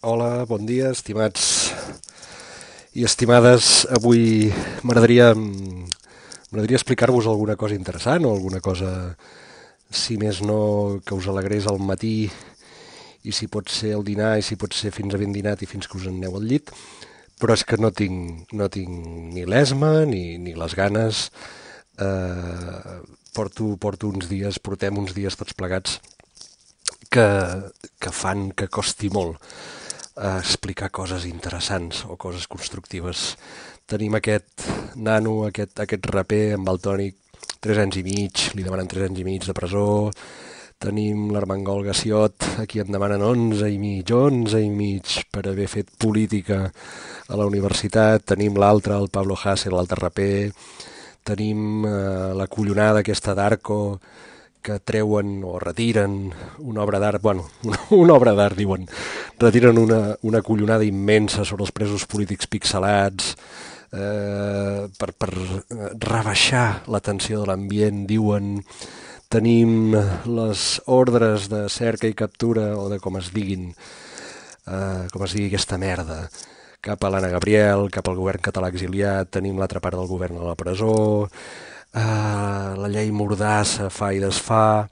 Hola, bon dia, estimats i estimades. Avui m'agradaria explicar-vos alguna cosa interessant o alguna cosa, si més no, que us alegrés al matí i si pot ser al dinar i si pot ser fins a ben dinat i fins que us en aneu al llit, però és que no tinc ni l'esma ni les ganes. Eh, portem uns dies tots plegats que, que fan que costi molt explicar coses interessants o coses constructives. Tenim aquest nano, aquest raper amb el tònic, 3 anys i mig, li demanen 3 anys i mig de presó. Tenim l'Armengol Gassiot, a qui en demanen 11 i mig per haver fet política a la universitat. Tenim l'altre, el Pablo Hasél, l'altre raper. Tenim la collonada aquesta d'Arco, que treuen o retiren una obra d'art, bueno, una obra d'art, diuen, retiren una collonada immensa sobre els presos polítics pixelats, per rebaixar la tensió de l'ambient, diuen. Tenim les ordres de cerca i captura, o de com es diguin, com es digui aquesta merda, cap a l'Anna Gabriel, cap al govern català exiliat. Tenim l'altra part del govern a la presó, la llei Mordassa fa i desfà.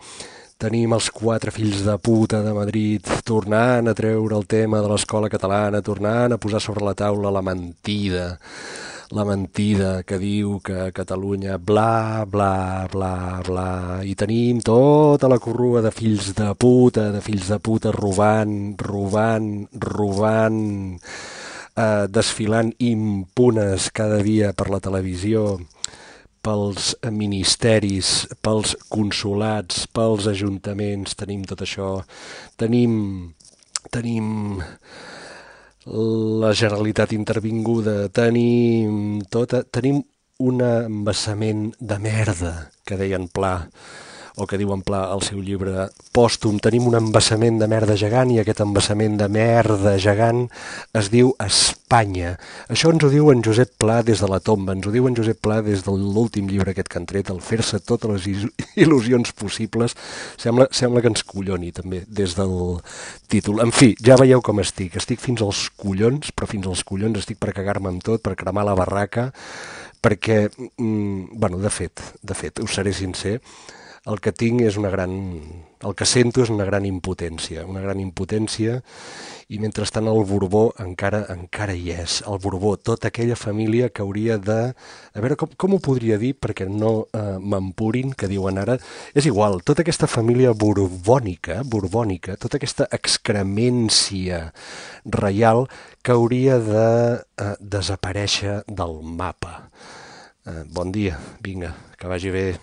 Tenim els 4 fills de puta de Madrid tornant a treure el tema de l'escola catalana, tornant a posar sobre la taula la mentida que diu que Catalunya bla, bla, bla, bla. I tenim tota la corrua de fills de puta robant, desfilant impunes cada dia per la televisió, pels ministeris, pels consolats, pels ajuntaments. Tenim tot això. Tenim la Generalitat intervinguda, tenim un embassament de merda, que deien Pla, o que diuen Pla al seu llibre pòstum. Tenim un embassament de merda gegant, i aquest embassament de merda gegant es diu Espanya. Això ens ho diu en Josep Pla des de la tomba, ens ho diu en Josep Pla des de l'últim llibre aquest que han tret, el Fer-se totes les il·lusions possibles. Sembla que ens colloni també des del títol. En fi, ja veieu com estic fins als collons, però fins als collons estic per cagar-me amb tot, per cremar la barraca, perquè, bueno, de fet, us seré sincer, el que tinc és el que sento és una gran impotència, i mentrestant el Borbó encara hi és. El Borbó, tota aquella família que hauria de... A veure, com ho podria dir perquè no m'empurin, que diuen ara. És igual, tota aquesta família borbònica, tota aquesta excremència reial que hauria de desaparèixer del mapa. Bon dia, vinga, que vagi bé.